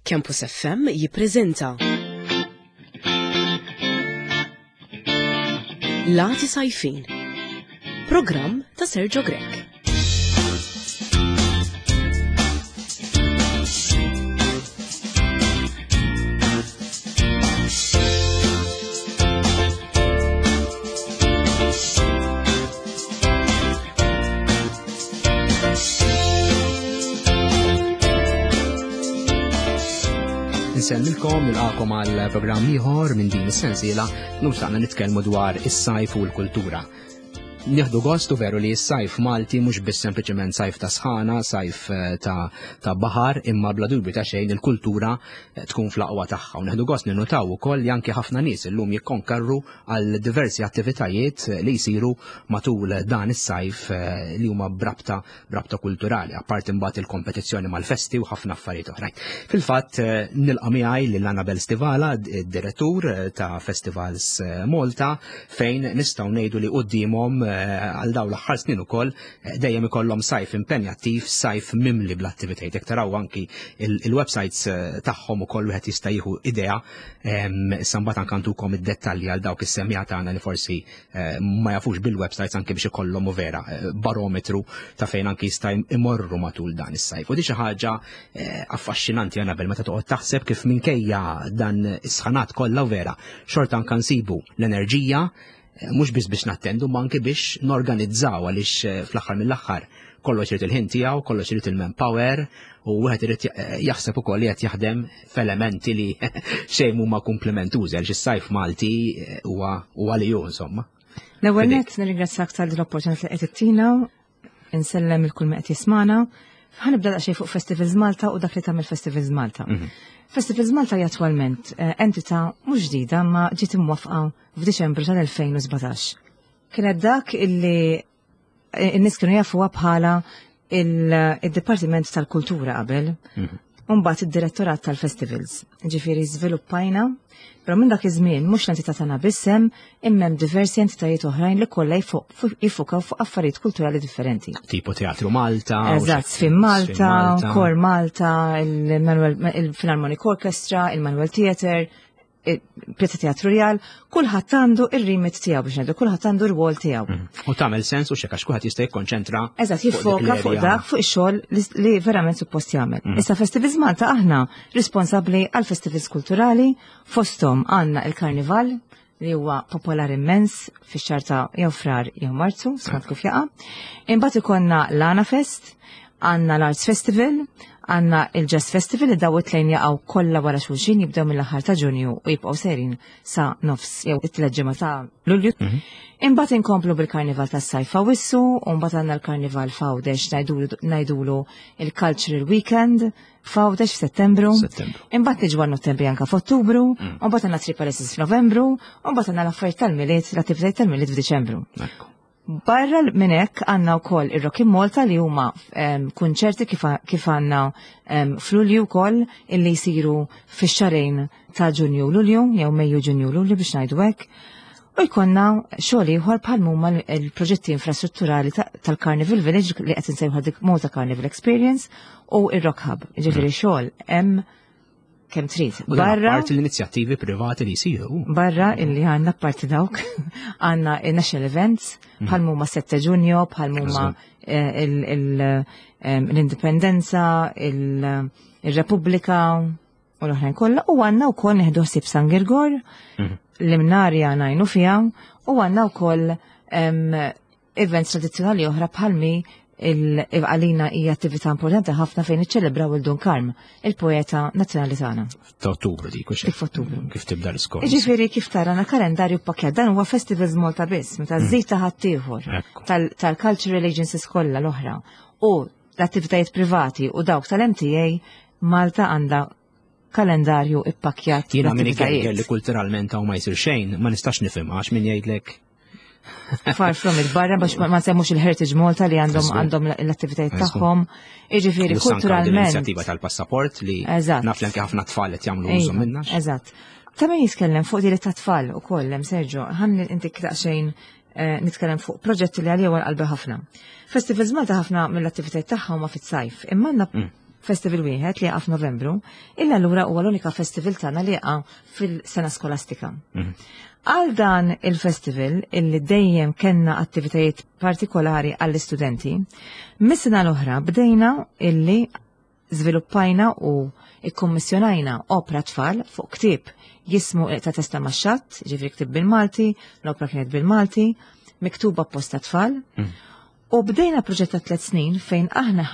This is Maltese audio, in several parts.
Campus FM jippreżenta Lati Sajfin Programm ta' Sergio Grech. Nsellmilkom nilqakom għal programm ieħor minn din is-sensiela lum xtaqna nitkellmu dwar is-sajf u l-kultura. Nieħdu gost u veru li s-sajf Malti mhux biss sempliċement sajf ta' sħana, sajf eh, ta', ta baħar, imma bla dubju ta' xejn il-kultura eh, tkun fl-aqwa tagħha. U nieħdu gost ninnotaw ukoll li anki ħafna nies illum jikkonkarru għal diversi attivitajiet li jsiru matul dan is-sajf eh, li huma brabta brabta kulturali, apparti mbagħad il-kompetizzjoni mal-festi u ħafna affarijiet oħrajn. Fil-fatt eh, nilqa' miegħi lil Annabel Stivala, direttur eh, ta' Festivals Malta, fejn nistgħu ngħidu li quddiemhom għal dawn l-aħħar snin ukoll dejjem ikollhom sajf impenjattiv, sajf mimli bl-attivitajiet. Jekk taraw anki il-websites tagħhom ukoll wieħed jista' jieħu idea Issa mbagħad anke ntukom id-dettalji għal dawk is-semmiegħa tagħna li forsi eh, ma jafux bil-websites anke biex ikollhom u vera eh, barometru ta' fejn anke jista' imorru matul dan is-sajf. U di xi ħaġa eh, affaxxinanti Anabel meta toqgħod taħseb kif minkejja dan is-sħanat kollha u vera xorta anke nsibu l-enerġija mhux biss biex nattendu ma anke biex norganizzaw għaliex eh, fl-aħħar mill-aħħar kollox irid il-ħin tiegħu, kollox irid il-manpower u wieħed irid eh, jaħseb ukoll li qed jaħdem f'elementi li xejn huma komplementużi għaliex is-sajf Malti eh, huwa huwa li hu insomma. L-ewwel nett nirringrazzjak tal l-opportunità li qed ittina insellem il kull qed jismana. Ħanibda daqsxejn fuq Festivals Malta u dak li tagħmel Festivals Malta. Mhm. Festivals Malta hija attwalment eh, entità mhux ġdida ma ġiet imwaffqa f'Diċembru tal-2017. Kienet dak illi eh, n-nies kienu jafuha bħala il-Dipartiment tal-Kultura qabel. Mhm. Umbagħad id-Direttorat tal-Festivals. Ġifieri żviluppajna, però minn dak iż-żmien mhux l-entità tagħna biss hemm, imma hemm diversi entitajiet oħrajn li kollha jiffukaw fuq affarijiet kulturali differenti. Tipo Teatru Malta. Eżatt, Sfin Malta, Kor Malta, il-Philharmonic Orchestra, il-Manuel Theatre, Pjazza Teatru Rjal, kulħadd għandu ir-remit tiegħu biex ngħidu, kulħadd għandu r-rwol tiegħu. Mhm. U tagħmel sens u xekk għax kulħadd jista' jikkonċentra. Eżatt, jiffoka fuq dak fuq ix-xogħol li verament suppost jagħmel. Mhm. Issa Festivals Malta aħna responsabbli għal festivals kulturali, fosthom għandna il-Karnival li huwa popolari immens fix-xahar ta' jew frar jew Marzu, skont kif jaqa'. Imbagħad ikollna l-Ana Fest, għandna l-Arts Festival, għandna il-Jazz Festival li daw it-tlejn jaqgħu kollha wara xulxin jibdew mill-aħħar ta' Ġunju u jibqgħu serin sa nofs jew it-tliet ġimgħa ta' Lulju. Mhm. Imbagħad inkomplu bil-Karnival tas-Sajf F'Awwissu, u mbagħad għandna l-Karnival f'Għawdex ngħidulu il-Cultural Weekend f'Għawdex f'Settembru. Imbagħad niġu għal Nottembri anka f'Ottubru, mm. u mbagħad għandna Three Palaces f'Novembru, u mbagħad għandna l-affarijiet tal-Milied, l-attivitajiet tal-Milied f'Diċembru. Barra minn hekk għandna wkoll ir-Rock in Malta li huma kunċerti kif għandna f'Lulju wkoll illi jsiru fix-xarejn ta' Ġunju u Lulju jew Mejju Ġunju u Lulju biex ngħidu hekk. U jkollna xogħol ieħor bħal huma l-proġetti infrastrutturali tal-Carnival Village li qed insejħu dik Malta Carnival Experience u ir-Rock Hub. Ġifieri mm. xogħol hemm kemm trid. Barra parti l-inizjattivi privati li jsiru. Barra illi għandna parti dawk għandna national events mhm. bħal huma 7 Ġunju, bħal huma eh, l-Indipendenza, il-Repubblika u l-oħrajn kollha u għandna wkoll neħdu ħsieb San Girgor mhm. l-imnarja ngħinu fiha u għandna wkoll events tradizzjonali oħra bħalmi għalina hija attività importanti ħafna fejn iċċelebraw il-Dun Karm, il-poeta nazzjonali tagħna. Ta' Ottubru dik u Kif Ottubru. Kif tibda l-iskors. Ġifieri kif tara na kalendarju pakjat dan huwa Festivals Malta biss, meta mm. żid ta' ħaddieħor tal-cultural agencies kollha l-oħra u l-attivitajiet privati u dawk tal-MTA Malta għandha kalendarju ippakjat. Jiena min li kulturalment hawn ma jsir xejn, ma nistax nifhem għax min jgħidlek Far from it barra biex ma semmux il-Heritage Malta li għandhom għandhom l-attivitajiet tagħhom. Jiġifieri kulturalment. L-inizjattiva tal-passaport li naf li anke ħafna tfal qed jagħmlu użu minnha. Eżatt. Ta' min jitkellem fuq diri ta' tfal ukoll hemm Sergio, ħan inti daqsxejn eh, nitkellem fuq proġetti li għalija qalbi ħafna. Festivals Malta ħafna mill-attivitajiet tagħha huma fit-sajf, imma għandna mm. festival wieħed li jaqa' f'Novembru, illa allura huwa l-unika festival tagħna li jaqa' fil-sena skolastika. Għal dan il-festival illi dejjem kellna attivitajiet partikolari għall-istudenti, mis-sena l-oħra bdejna illi żviluppajna u ikkummissjonajna opra tfal fuq ktieb jismu ta' testa max-xatt, ġifieri ktieb bil-Malti, l-opra kienet bil-Malti, miktuba apposta tfal. U bdejna proġett ta' 3 snin fejn aħna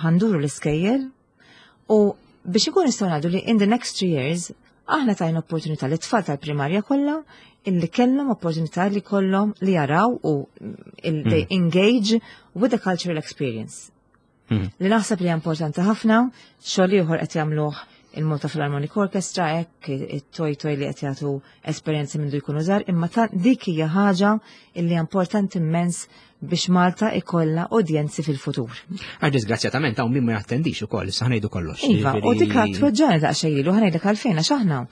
ħanduru l-iskejjel u biex ikun nistgħu ngħidu li in the next 3 years aħna tajna opportunità li tfal tal-primarja kollha illi kellhom opportunità li kollhom li jaraw u they engage with the cultural experience. Li naħseb li hija importanti ħafna, xogħol ieħor qed jagħmluh il-Malta Philharmonic Orchestra, hekk it-toj toj li qed jagħtu esperjenzi minn jkunu żgħar, imma dik hija ħaġa illi hija importanti immens biex Malta ikollha udjenzi fil-futur. Għax disgrazzjatament hawn min ma jattendix ukoll, issa ħnejdu kollox. Iva, u dik tweġġani daqsxejn ilu, ħanejdlek għalfejn għax aħna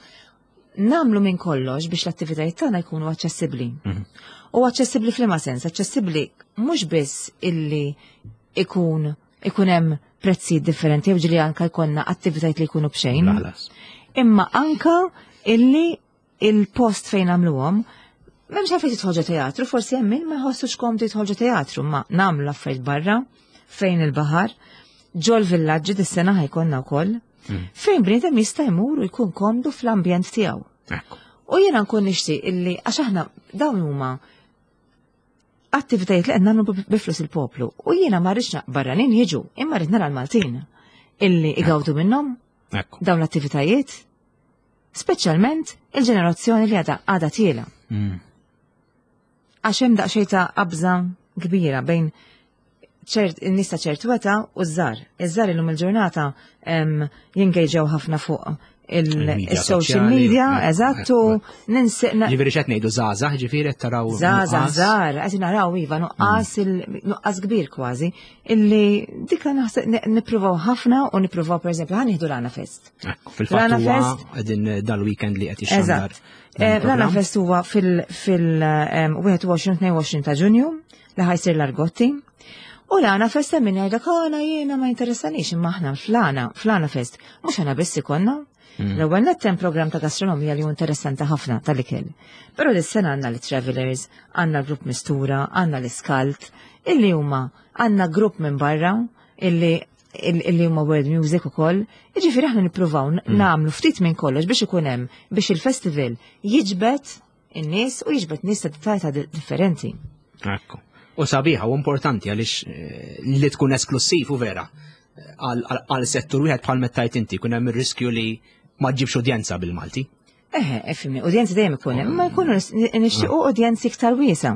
nagħmlu minn kollox biex l-attivitajiet tagħna jkunu aċċessibbli. U aċċessibbli f'liema sens, aċċessibbli mhux biss illi ikun hemm prezzijiet differenti jew ġieli anka jkollna attivitajiet li jkunu b'xejn. Laħlas. Imma anka illi il-post fejn nagħmluhom m'hemmx għalfejn tidħol ġo teatru, forsi hemm min ma jħossux komdu jidħol ġo teatru, ma nagħmlu affarijiet barra fejn il-baħar, ġol villaġġi dis-sena ħajkonna wkoll, fejn bniedem jista' jmur u jkun komdu fl-ambjent tiegħu. U jiena nkun nixtieq illi għax aħna dawn huma attivitajiet li qed nagħmlu bi flus il-poplu. U jiena ma rridx barranin jiġu, imma rrid nara l-Maltin illi igawdu minnhom dawn l-attivitajiet, speċjalment il-ġenerazzjoni li għadha tiela. Għax hemm daqsxejn ta' qabża kbira bejn in-nies ta' ċertu età u ż-żgħar. Iż-żgħar illum il-ġurnata jengagġaw ħafna fuq Il-media il-social soċjali, media, eżattu, ninsiqna. Ġifieri x'qed ngħidu żgħażagħ, ġifieri qed taraw Żgħażagħ, nuqqas. żgħar, qed naraw iva nuqqas nuqqas kbir kważi, illi dika naħseb nippruvaw ħafna u nippruvaw pereżempju ħa nieħdu l-Għana Fest. Ekku, fil-fatt L-Għana huwa Fest qegħdin dal-weekend li qed jixxandar. Eżatt. dan il-programm. L-Għana Fest huwa fil 21 22 ta' Ġunju li ħajsir l-Argotti. U l-Għana Fest hemm min jgħidlek, għana jiena ma jinteressanix, imma aħna fl-Għana Fest mhux aħna biss ikollna. L-ewwel nett hemm programm ta' gastronomija li hu interessanti ħafna tal-ikel. Però dis-sena għandna l-Travelers, għandna l-grupp Mistura, għandna l-Iskalt, illi huma għandna grupp minn barra illi huma world music ukoll. Jiġifieri aħna nippruvaw nagħmlu ftit minn kollox biex ikun hemm biex il-festival jiġbed in-nies u jiġbed nies ta' ta' differenti. Ekku. U sabiħa u importanti għaliex li tkun esklussiv u vera għal settur wieħed bħal mettajt inti, kun hemm ir-riskju li ma ġibx udjenza bil-Malti. Eħe, efimni, udjenzi dejjem ikun hemm, ma jkunu nixtiequ udjenzi iktar wiesa.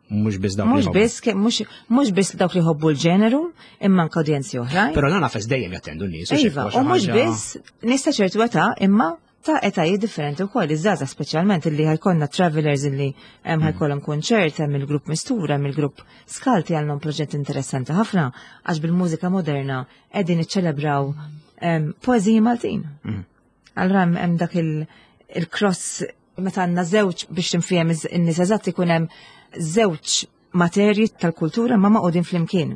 Mhux biss dawk li Mhux jħobbu. biss ke-, mhux, mhux biss dawk li jħobbu l-ġeneru, imma anke udjenzi oħrajn. Però l-Għana Fest dejjem jattendu n-nies, u xi Iva, xi u mhux ħaġa biss nies ta' ċertu età, imma ta' etajiet differenti wkoll, iż-żgħażagħ speċjalment illi ħajkollna travelers illi hemm ħajkollhom kunċert, hemm il-grupp Mistura, hemm il-grupp Skalti għandhom proġett interessanti ħafna għax bil-mużika moderna qegħdin iċċelebraw poeżiji Maltin. Allura hemm dak il-cross meta għandna żewġ biex tinfhem in-nies eżatt ikun hemm żewġ materji tal-kultura ma maqudin flimkien.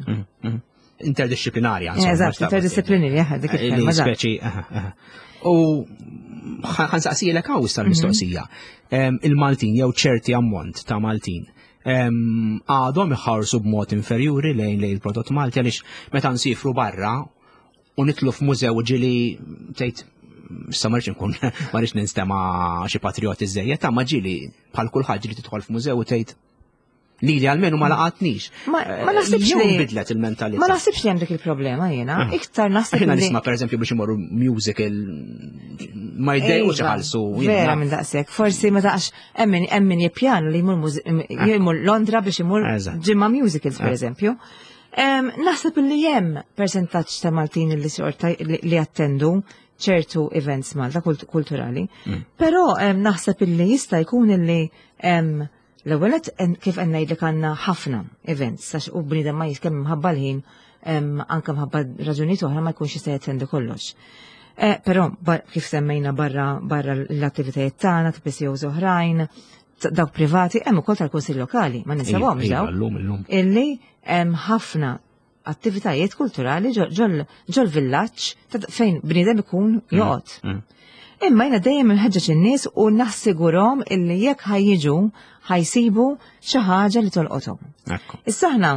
Interdisciplinarja, insomma, Eżatt, mhux ta' interdisciplinarja, dik il-kelma, Li eżatt. speċi, aha, aha. U ħansaqsilek hawn issa l-mistoqsija. Il-Maltin jew ċerti ammont ta' Maltin għadhom iħarsu b'mod inferjuri lejn il-prodott Malti għaliex meta nsifru barra u nitlu f'mużew ġili tgħid issa ma rridx nkun, ma rridx ninstema' xi patrioti żejjed, ta' ma ġili bħal kulħadd ġili tidħol f'mużew u tgħid li li għalmenu ma laqatnix. Ma naħsibx Jew li bidlet il-mentalità. Ma naħsibx li hemm dik il-problema jiena. Iktar naħseb Aħna li nisma' pereżempju biex imorru musical ma jdejqux Iva, iħallsu, Vera jiena. minn daqshekk. Forsi ma taqx hemm min jippjanu li jmur Londra biex imur ġimgħa musicals pereżempju. Naħseb li hemm persentaġġ ta' Maltin li xorta li attendu ċertu events Malta kulturali. Però naħseb illi jista' jkun illi l-ewwel nett, kif qed ngħidlek għandna ħafna events għax u bniedem ma jiskemm mħabba l-ħin, anke mħabba raġunijiet oħra ma jkunx jista' jattendi kollox. Però kif semmejna barra l-attivitajiet tagħna, ta' PCOs oħrajn, dawk privati, hemm ukoll tal-Kunsill Lokali, ma ninsewhomx Iva, dawk. Illum, illum. Illi hemm ħafna attivitajiet kulturali ġol villaġġ fejn bniedem ikun joqgħod. Imma jiena dejjem inħeġġeġ in-nies u nassigurhom illi jekk ħa jiġu, ħa jsibu xi ħaġa li tolqothom. Issa aħna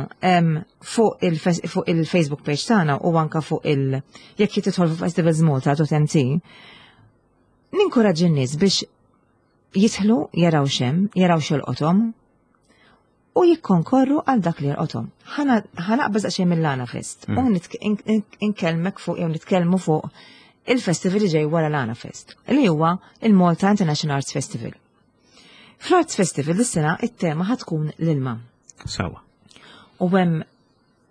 fuq il-Facebook page tagħna u anka fuq il jekk tidħol fuq festivalsmalta.mt, ninkoraġġi n-nies biex jidħlu, jaraw x'hemm, jaraw x'jolqothom u jikkonkorru għal dak li jolqothom. Ħa naqbeż daqsxejn mill-Għana Fest u inkellmek fuq jew nitkellmu fuq il-festival li ġej wara l-Għana Fest, li huwa il-Malta International Arts Festival. Fl-Arts Festival dis-sena it-tema ħa tkun l-ilma. U hemm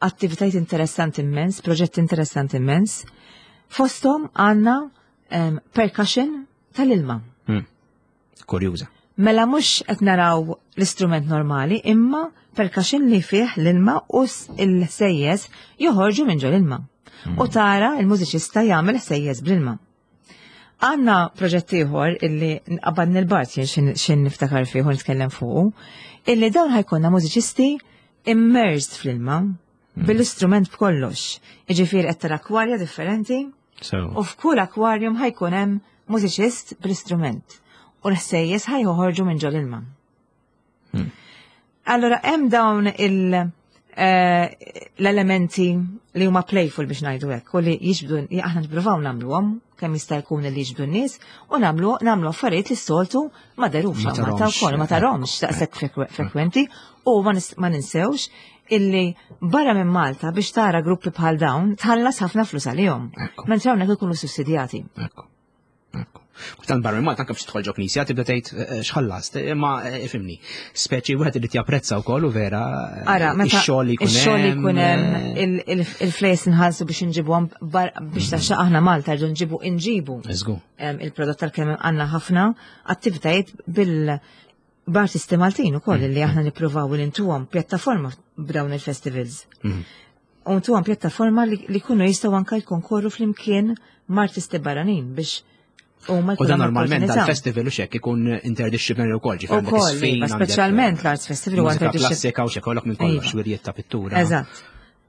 attivitajiet interessanti immens, proġetti interessanti immens. Fosthom għandna percussion tal-ilma. Kurjuża. Mela mhux qed naraw l-istrument normali, imma percussion li fih l-ilma u il-ħsejjes joħorġu minn ġol ilma. U tara il-mużiċista jagħmel ħsejjes bl-ilma. Għandna proġett ieħor illi nqabad nil-Bart jien xin niftakar fih u nitkellem fuqu, illi dawn ħa jkollna mużiċisti immersed fl-ilma bil-istrument b'kollox. Iġifieri qed tara akwarja differenti u f'kull aquarium ħa jkun hemm mużiċist bl-istrument u l-ħsejjes ħa joħorġu minn ġol ilma. Allora hemm dawn l-elementi li huma playful, biex ngħidu hekk, u li jiġbdu, li aħna nippruvaw nagħmluhom kemm jista' jkun li jiġbdu n-nies u nagħmlu affarijiet li s-soltu ma derux Ma hawn Malta tarahomx, wkoll, ma tarahomx daqshekk frekwenti u ma ninsewx illi barra minn Malta biex tara gruppi bħal dawn tħallas ħafna flus għalihom. Mentri hawnhekk ikunu sussidjati. Ekku. Ekku. Kultant barra minn Malta anke biex tidħol ġo knisja tibda tgħid x'ħallast, imma ifhimni. Speċi wieħed irid japprezza wkoll u vera Ara, meta ix-xogħol li jkun ix-xogħol li jkun hemm, il-flejs nħallsu biex inġibuhom biex taxxa aħna Malta rridu nġibu il-prodott tal-kemm għandna ħafna attivitajiet bil b'artisti Maltin ukoll li aħna nippruvaw li ntuhom pjattaforma b'dawn il-festivals. U ntuhom pjattaforma li kunu jistgħu anka jkonkorru flimkien ma' artisti barranin biex huma U dan jkollhom normalment opportunità. dal-festival u xek ikun interdisciplinary wkoll, ġifieri għandek Ukoll, isfin, iva, għandek, speċjalment l-Arts Festival huwa mużika interdisciplinary. klassika u xek minn kollox, wirjiet ta' pittura. Eżatt.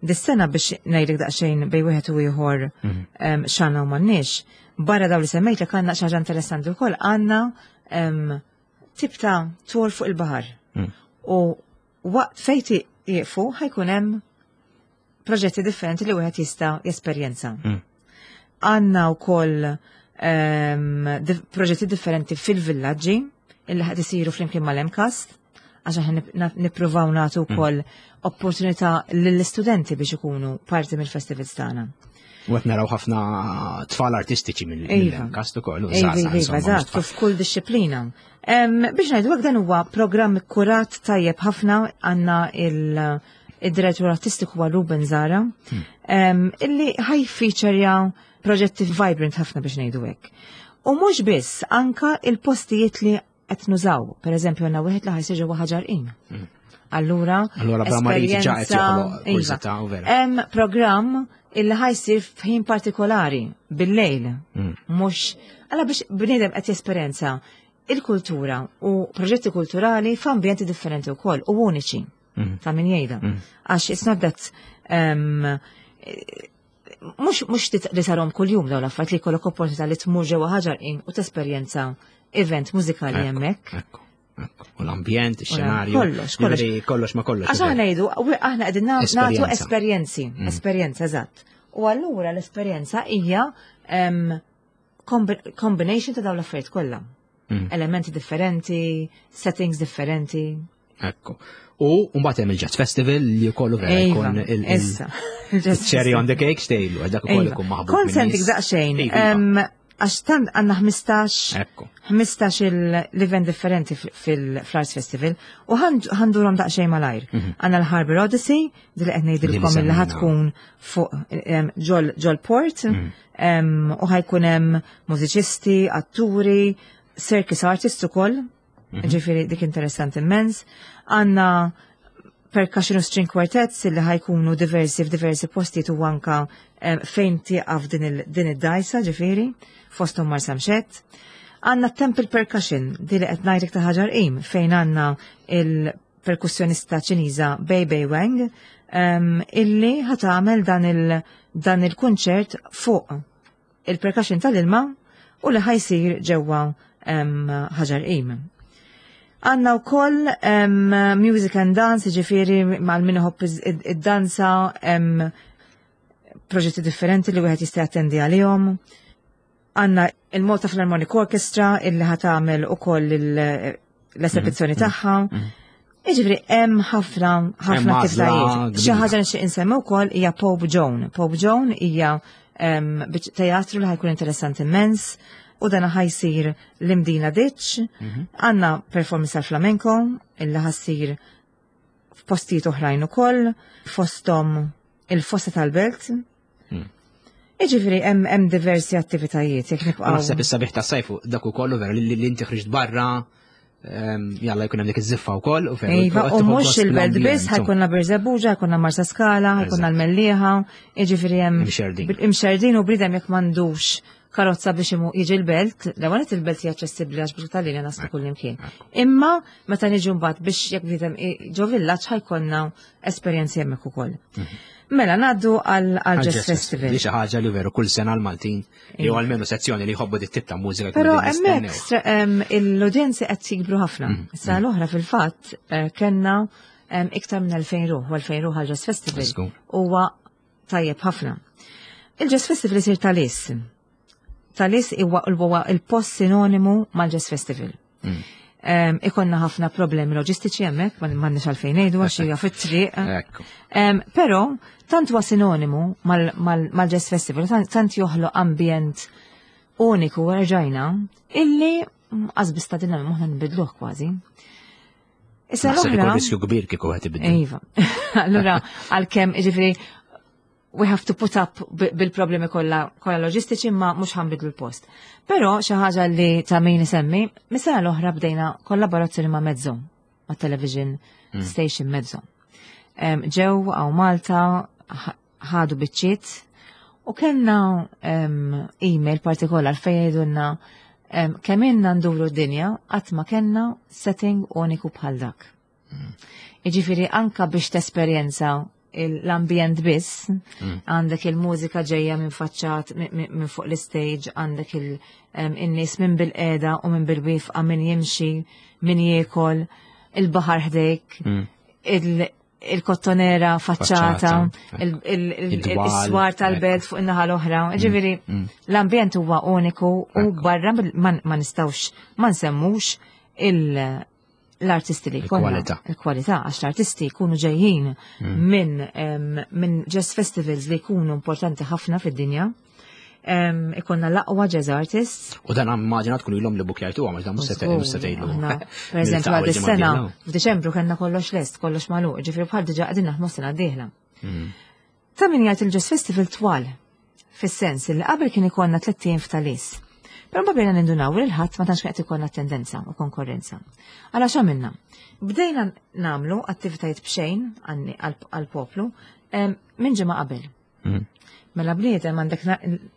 Dis-sena, biex ngħidlek daqsxejn bejn wieħed u ieħor x'għandna u m'għandniex, barra daw li semmejt li għandna xi ħaġa interessanti wkoll, għandna tip ta' tour fuq il-baħar. U waqt fejn jieqfu ħa jkun hemm proġetti differenti li wieħed jista' jesperjenza. Għandna wkoll proġetti differenti fil-villaġġi illi ħad isiru flimkien mal-MCAST, għax aħna nippruvaw nagħtu wkoll opportunità lill-istudenti biex ikunu parti mill-festivals tagħna. U qed naraw ħafna tfal artistiċi mill-MCAST ukoll, u Iva, żgħażagħ, iva, insomma, mhux tfal. F'kull disċiplina. Biex ngħidu hekk, dan huwa programm ikkurat tajjeb ħafna. Għandna il-direttur artistiku huwa Ruben Zara, illi ħa jiffeaturja proġetti vibrant ħafna, biex ngħidu hekk. U mhux biss, anka il-postijiet li qed nużaw. Per eżempju, għandna wieħed li ħa jsir ġewwa Ħaġar Qim. Allura, Allura bla ma rrid ġa qed esperjenza- joħloq Iva. kurżità u vera. Hemm programm illi ħa jsir f'ħin partikolari bil-lejl. Mhux għala biex bniedem qed jesperjenza il-kultura u proġetti kulturali f'ambjenti differenti wkoll u uniċi. Ta' min jgħidha. Għax it's not that mhux li tarahom kuljum dawn l-affarijiet, li jkollok opportunità li tmur ġewwa Ħaġar Qim u tesperjenza event mużikali hemmhekk. Ekku. U l-ambjent, ix-xenarju. Kollox, kollox. Ġifieri kollox ma kollox. Għax aħna ngħidu, aħna qegħdin nagħtu Esperjenza. esperjenzi, esperjenza, eżatt. U allura l-esperjenza hija combination ta' dawn l-affarijiet kollha. Elementi differenti, settings differenti. Ekku. U mbagħad hemm il-Jazz Festival li jkollu vera jkun Issa. cherry on the cake stejlu, dak ukoll ikun maħbub. Kont sentik min-nies. daqsxejn. Iva, iva. Għax tant għandna 15 15 l-event differenti fil-Arts Festival u ħa ndurhom daqsxejn malajr. Għandna l-Harbor Odyssey, di li qed ngħidilkom Li illi semmejna. ħa tkun fuq ġol port u ħa jkun hemm mużiċisti, atturi, circus artists ukoll, ġifieri dik interessanti immens. Għandna percussion u string quartets illi ħa jkunu diversi f'diversi postijiet u anka fejn tieqaf din id-dajsa, ġifieri, fosthom Marsamxett. Għandna Temple Percussion, di li qed ngħidlek ta' Ħaġar Qim, fejn għandna il-perkussjonista Ċiniża Bei Bei Wang. Illi ħa tagħmel dan il-kunċert fuq il-percussion tal-ilma u li ħa jsir ġewwa Ħaġar Qim. Għandna wkoll music and dance, ġifieri mal min iħobb id-danza, proġetti differenti li wieħed jista' jattendi għalihom. Għandna il-Malta Philharmonic Orchestra illi ħa tagħmel ukoll l-esibizzjoni tagħha. Jiġifieri hemm ħafna ħafna attivitajiet. Xi ħaġa nixtieq insemmi wkoll hija Pope Joan. Pope Joan hija teatru li ħa jkun interessanti immens u dan ħa jsir l-Imdina Ditch. Għandna performance tal-flamenco illi ħa ssir f'postijiet oħrajn ukoll, fosthom il-fossa tal-belt. Iġifieri hemm diversi attivitajiet jekk nibqgħu. Naħseb is-sabiħ tas-sajfu dak ukoll vera li inti ħriġt barra, jalla jkun hemm dik iż-żiffa wkoll u veru. Iva, u mhux il-belt biss, ħa jkollna Birżebbuġa, ħa jkollna Marsa Skala, ħa jkollna l-Mellieħa, jiġifieri hemm imxerdin. Imxerdin u bniedem jekk m'għandux karozza biex imu jiġi l-belt, l-ewwel il-belt hija aċċessibbli għax biex tal-linja naslu kull imkien. Imma meta niġu mbagħad biex jekk bniedem ġo villaġġ ħa jkollna esperjenzi hemmhekk ukoll. Mela ngħaddu għal Jazz Festival. Li xi ħaġa li veru kull sena l-Maltin jew almenu sezzjoni li jħobbu dit tip ta' mużika. Però hemmhekk l-udjenzi qed jikbru ħafna. Sena l-oħra fil-fatt kellna iktar minn 2000 ruħ u 2000 ruħ għal Jazz Festival. Huwa tajjeb ħafna. Il-Jazz Festival isir Ta' Lies. Ta' Lies huwa il-post sinonimu mal-Jazz Festival. Ikollna ħafna problemi loġistiċi hemmhekk, m'għandniex għalfejn ngħidu għax hija fit-triq. Però tant huwa sinonimu mal-Jazz Festival, tant joħloq ambjent uniku erġajna illi qasbis ta' dinna moħħna nbidluh kważi. Issa l-oħra. Riskju kbir kieku qed ibidlu. Iva. Allura għalkemm jiġifieri we have to put up bil-problemi kollha kollha loġistiċi ma mhux ħa nbiddlu l-post. Però xi ħaġa li ta' min isemmi, mis-sena l-oħra bdejna kollaborazzjoni ma' Mezzo, ma' television station Mezzo. Ġew hawn Malta, ħadu biċċiet u kellna email partikolar fejn jgħidulna kemm ilna nduru d-dinja qatt ma kellna setting uniku bħal dak. Jiġifieri anka biex tesperjenza l-ambjent biss, għandek il-mużika ġejja minn faċċat minn fuq l-stage, għandek il-nies minn bil-qeda u minn bil-wifqa, minn jimxi, minn jiekol, il-baħar ħdejk, il-kottonera faċċata, il-swar tal-belt fuq in-naħa l-oħra. Ġifieri, l-ambjent huwa uniku u barra ma nistgħux ma nsemmux l-artisti li jkollna. Il-kwalità. Il-kwalità, għax l-artisti jkunu ġejjin minn jazz festivals li jkunu importanti ħafna fid-dinja. Ikollna l-aqwa jazz artists. U dan immaġina tkun ilhom li bukjajtu għax dan mhux se tgħidlu. Per eżempju, għad is-sena f'Diċembru kellna kollox lest, kollox magħluq, ġifieri bħal diġà qegħdin naħdmu sena d-dieħla. Ta' min jgħid il-Jazz Festival twal, fis-sens li qabel kien ikollna 3 ijiem f'Ta' Lies. Però mbagħad bdejna nindunaw li l-ħadd ma tantx qed ikollna tendenza u konkurrenza. Għala x'għamilna? Bdejna nagħmlu attivitajiet b'xejn għall-poplu minn ġimgħa qabel. Mela bniedem għandek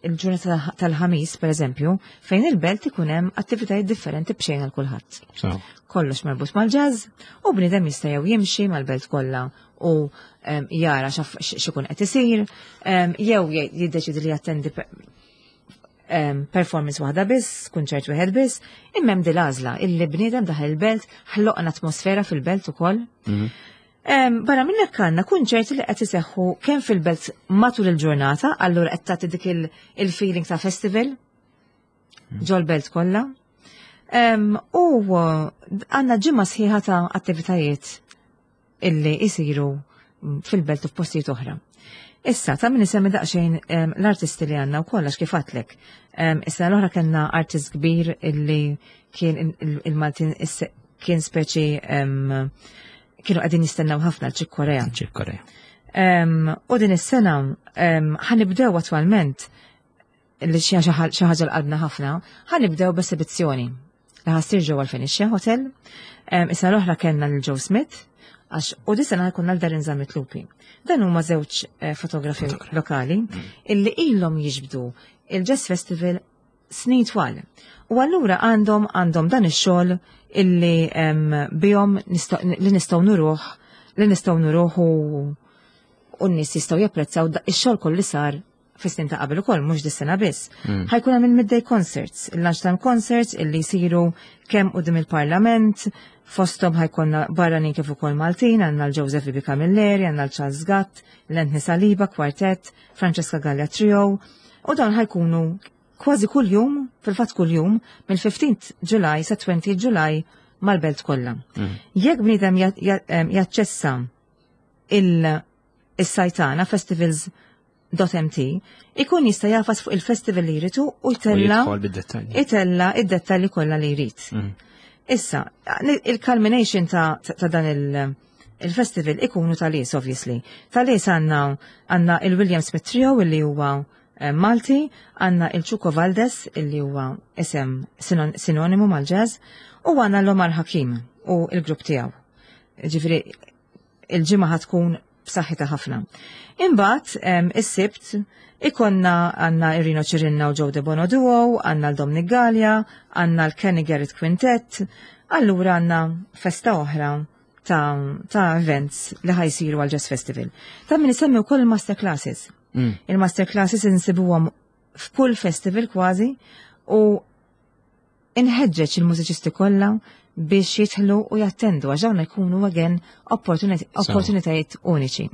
il-ġurnata tal-ħamis, per eżempju, fejn il-belt ikun hemm attivitajiet differenti b'xejn għal kulħadd. Kollox marbut mal-jazz u bniedem jista' jew jimxi mal-belt kollha u jara x'ikun qed isir, jew jiddeċidi li jattendi performance waħda biss, kunċert wieħed biss, imma hemm dil-għażla illi bniedem daħal il-belt, ħloqna atmosfera fil-belt ukoll. Barra minn hekk għandna kunċerti li qed iseħħu kemm fil-belt matul il-ġurnata, allura qed tagħti dik il-feeling ta' festival ġol-belt kollha. U għandna ġimgħa sħiħa ta' attivitajiet illi jisiru fil-belt u f'postijiet oħra. Issa, ta' min isemmi daqsxejn l-artisti li għandna u kollax kif għedtlek. Issa l-oħra kellna artist kbir illi kien il-Maltin kien speċi kienu qegħdin jistennew ħafna l-Chick Corea. Chick Corea. U din is-sena ħa nibdew attwalment li xi ħaġa l-qalbna ħafna, ħa nibdew b'esibizzjoni li ħa ssir ġewwa l-Phoenicia Hotel. Issa l-oħra kellna lil Joe Smith, għax u di sena ħa jkollna l-Darren Zammit Lupi. Dan huma żewġ fotografi lokali illi ilhom jiġbdu il-Jazz Festival snin twal. U allura għandhom dan ix-xogħol illi bihom li nistgħu nuruh, li nistgħu nuruh u u n-nies jistgħu japprezzaw ix-xogħol kollu li sar fis-snin ta' qabel ukoll mhux dis-sena biss. Ħajkun hemm il-midday concerts, il-lunchtime concerts illi jsiru kemm quddiem il-Parlament, fosthom ħajkonna barranin kif ukoll Maltin, għandna l-Joseph Bibi Camilleri, għandna l-Charles Gatt, l-Anthony Saliba Quartet, Francesca Gallia Trio, u dawn ħajkunu kważi kuljum, fil-fatt kuljum, mill-15 July sa 20 July mal-belt kollha. Jekk bniedem jaċċessa il-sajtana festivals.mt ikun jista' jafas fuq il-festival li jridu u jtella itella id-dettalji kollha li jrid. Issa, il-culmination ta' dan il-festival ikunu tal-is, obviously. Tal-is għandna il-William Smith Trio illi huwa Malti, għandna il-Chuco Valdes illi huwa isem sinonimu mal-jazz, u għandna l-Omar Hakim u il-grupp tiegħu. Ġifieri il-ġimgħa tkun b'saħħitha ħafna. Imbagħad is-Sibt ikonna għandna Irino Ċirinna u Joe De Bono Duo, għandna l-Dominic Gallia, għandna l-Kenny Garrett Quintet, allura għandna festa oħra ta' events li ħajsiru għal Jazz Festival. Ta' min isemmi wkoll il-master classes. Il-master classes insibuhom f'kull festival kważi u inħeġġeġ il-mużiċisti kollha biex jidħlu u jattendu għax dawn jkunu again opportunitajiet uniċi.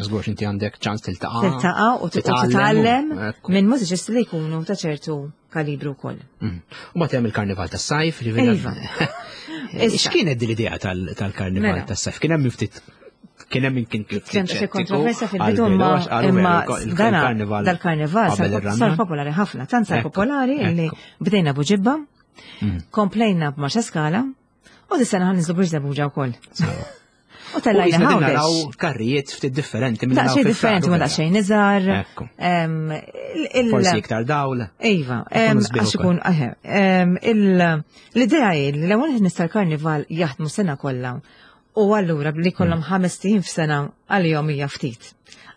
Żgur inti għandek ċans tiltaqa'. Tiltaqa' u titgħallem minn mużiċisti li jkunu ta' ċertu kalibru wkoll. U ma hemm il-Karnival tas-sajf, Iva. X'kienet din l-idea tal-Karnival Mela. tas-sajf? Kien hemm ftit kien hemm kien Kien xi kontroversja fil-bidu imma dana dal-karnival sar popolari ħafna, tant sar popolari illi bdejna Buġibba, komplejna b'Marsaskala u dis-sena ħa ninżlu Birżebbuġa wkoll. U tellajna naraw Għawdex. karrijiet ftit differenti minn Daqsxejn differenti ma daqsxejn iżgħar. Ekku. Forsi iktar dawl. Iva, Ikunu sbieħ għax ikun, eħe, l-idea hi li l-ewwel nies tal-karnival jaħdmu sena kollha u allura li kollhom 5 ijiem f'sena għalihom hija ftit.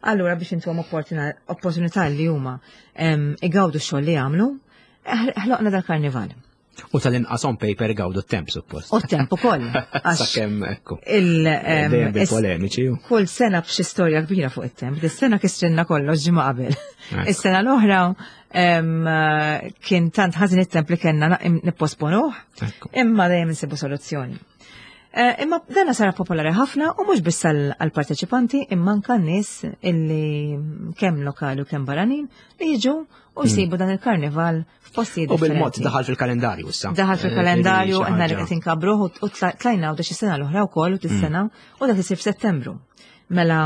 Allura biex intuhom opportunità li huma igawdu x-xogħol li jagħmlu, ħloqna dal-karnival. U tal-inqas on paper gawdu t-temp suppost. U t-temp ukoll. Għax Sakemm ekku. Dejjem bil-polemiċi. Kull sena b'xi storja kbira fuq it-temp. Dis-sena kissrinna kollox ġimgħa qabel. Ekku. Is-sena l-oħra kien tant ħażin it-temp li kellna nipposponuh, Ekku. imma dejjem insibu soluzzjoni. Imma dana sara popolari ħafna u mhux biss għall-parteċipanti imma anke n-nies illi kemm lokali u kemm barranin li jiġu u jsibu dan il-karnival f'postijiet U bil-mod differenti. daħal fil-kalendarju issa. Daħal fil-kalendarju, Xi għanna li ħaġa. qed inkabruh u tlajna u xi sena l-oħra wkoll u tis-sena u dak isir f'Settembru. Mela,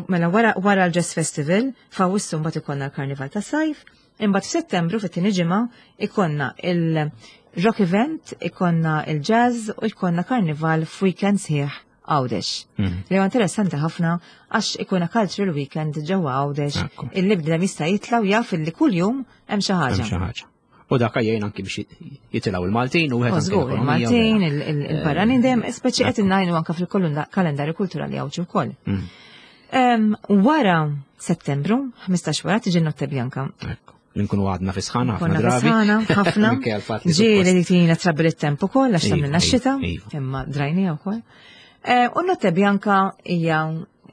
mela wara l-Jazz Festival, f'Awwissu mbagħad ikollna l-Karnival tas sajf, imbagħad f'Settembru fit-tieni ġimgħa ikonna il-Rock Event, ikonna il-Jazz u ikonna Karnival f'weekend sħiħ Għawdex. Li huwa interessanti ħafna għax ikuna cultural weekend ġewwa Għawdex illi bniedem jista' jitla' u jaf illi kuljum hemm xi ħaġa. Hemm xi ħaġa. U dak jgħin anki biex jitilgħu il-Maltin u wieħed anki Żgur, l-ekonomija, il-Maltin, vera. il-barranin dejjem speċi qed innajnu anke fil-kalendarju kulturali Għawdxi wkoll. Wara Settembru, 15 wara tiġi Notte Bianca. Ekku. Li nkunu għadna fi sħana ħafna Konna fi drabi. sħana, ħafna. Minkejja l-fatt li Ġieli suppost- li tina trabbi it-temp ukoll għax tagħmilna x-xita, iva. imma drajnija wkoll. U Notte Bianca hija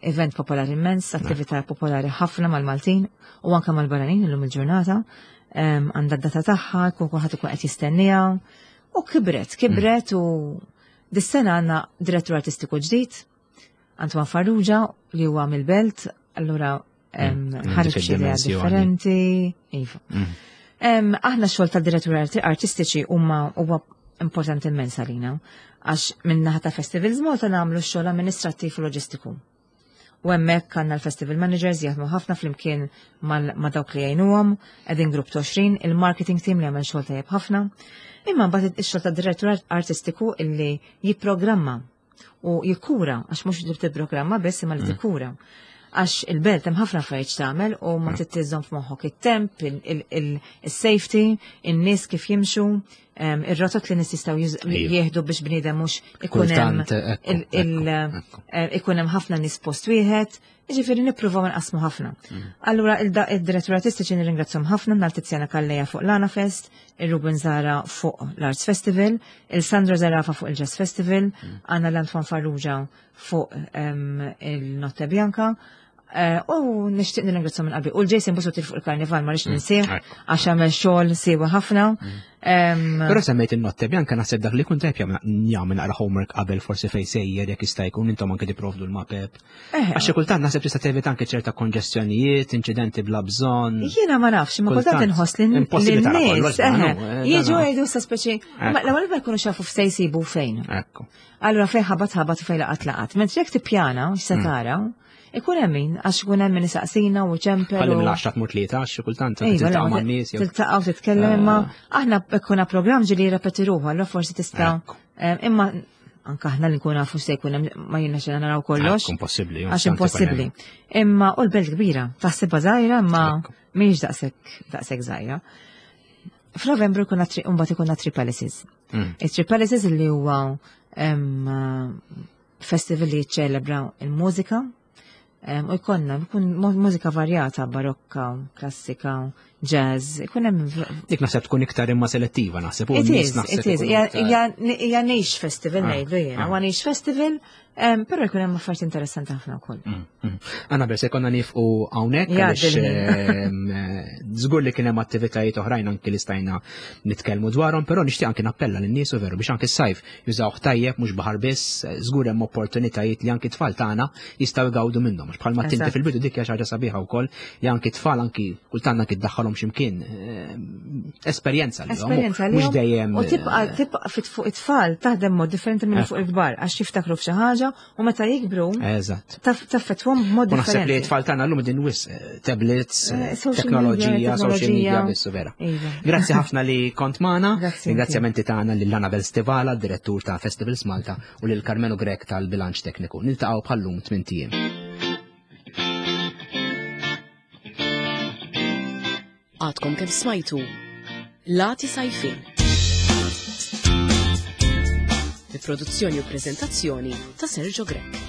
event popolari immens, attività popolari ħafna mal-Maltin u anke mal-barranin illum il-ġurnata. Għandha d-data tagħha, jkun kulħadd ikun qed jistenniha. U kibret, kibret u dis-sena għandna direttur artistiku ġdid, Antoine Farrugia, li huwa mill-Belt, allura ħareġ dik xi idea id-dimensjoni. differenti. Iva. Aħna x-xogħol tad-direttur artistiċi huma huwa importanti immens għalina, għax minn naħa ta' Festivals Malta nagħmlu x-xogħol amministrattiv u loġistiku. U hemmhekk għandna l-festival managers jaħdmu ħafna flimkien ma' dawk li jgħinuhom, qegħdin grupp ta' 20, il-marketing team li jagħmel xogħol tajjeb ħafna. Imma mbagħad ix-xogħol tad-direttur artistiku illi jipprogramma u jikkura, għax mhux li tipprogramma biss imma li tikkura. Għax il-belt hemm ħafna affarijiet tagħmel u ma trid tiżżomm f'moħħok it-temp, il-safety, in-nies kif jimxu. Ir-rotot li nies jistgħu jieħdu biex bniedem mhux ikun hemm eh, ikun hemm ħafna nies post wieħed, jiġifieri nippruvaw nqasmu ħafna. Mm. Allura id-direttur artistiċi nirringrazzhom ħafna nhar Tiziana Kalleja fuq l-Ana Fest, il-Ruben Zara fuq l-Arts Festival, il-Sandra Zarafa fuq il-Jazz Festival, mm. Anna l-Antoine Farrugia fuq il-Notte Bianca, Eh, u nixtieq nirringrazzja minn qalbi. U l-Jason Busuttil fuq il-karnival ma rridx mm, ninsih għax għamel xogħol siewa ħafna. Mm. Però semmejt in-notte Bianca naħseb dak li kun tajb jagħmel naqra homework qabel forsi fejn sejjer jekk jista' jkun intom anke tipprovdu l-mapep. Eh. Għax xi kultant naħseb tista' tevita anke ċerta konġestjonijiet, inċidenti bla bżonn. Jiena ma nafx, ma kultant inħoss li n-nies eh, jiġu jgħidu sa speċi, l-ewwel ma jkunu xafu f'se jsibu fejn. Allura fejn ħabat ħabat u fejn laqat laqat. Mentri jekk tippjana x'se mm. tara, Ikun hemm min, għax ikun hemm min isaqsina u ċempel. Ħalli mill-10 tmur tlieta għax kultant tiltaqa' man-nies. Tiltaqa' u titkellem imma eh. aħna ikkuna programm ġieli jirrepeti ruħu, allura forsi tista' eh, imma anka aħna li nkun nafu se jkun hemm ma jiena xejn naraw kollox. Impossibbli. Għax impossibbli. Imma u l-belt kbira, taħsibha żgħira imma mhijiex daqshekk daqshekk żgħira. F'Novembru jkun mbagħad ikun Tri Palaces. Mm. It-Tri Palaces li huwa festival li jiċċelebra il-mużika u jkollna jkun mużika varjata, barokka, klassika, jazz, ikun hemm. Dik naħseb tkun iktar imma selettiva naħseb. It is, it is, hija niche festival ah, ngħidlu jiena, ah. huwa niche festival Però jkun hemm affarijiet interessanti ħafna wkoll. Mm, mm. Anna se konna nifqu hawnhekk għaliex żgur li kien hemm attivitajiet oħrajn anki li stajna nitkellmu dwarhom, però nixtieq anki nappella lin-nies u veru biex anki s-sajf jużawh tajjeb mhux baħar biss, żgur hemm opportunitajiet li anki tfal tagħna jistgħu jgawdu minnhom. Għax bħalma tinti fil-bidu dik hija xi ħaġa sabiħa wkoll li anki tfal anki kultant anki ddaħħalhom x'imkien eh, esperjenza li esperjenza li mhux dejjem. U tibqa' eh, tibqa' fit fuq it-tfal taħdem mod differenti minn fuq il-kbar għax jiftakru f'xi ħaġa u meta jikbru Eżatt. Taffettwhom b'mod differenti. Naħseb li t-tfal tagħna llum din wis eh, tablets, eh, teknoloġija, social media biss vera. Iva. Grazzi ħafna li kont magħna. Ringrazzjamenti tagħna lil Anabel Stivala, direttur ta' Festivals Malta, u lil Carmelo Grek tal-Bilanċ Tekniku. Niltaqgħu bħallum tmien ijiem. Għadkom kemm smajtu Lati Sajfin. Bi produzzjoni u prezentazzjoni ta' Sergio Grech.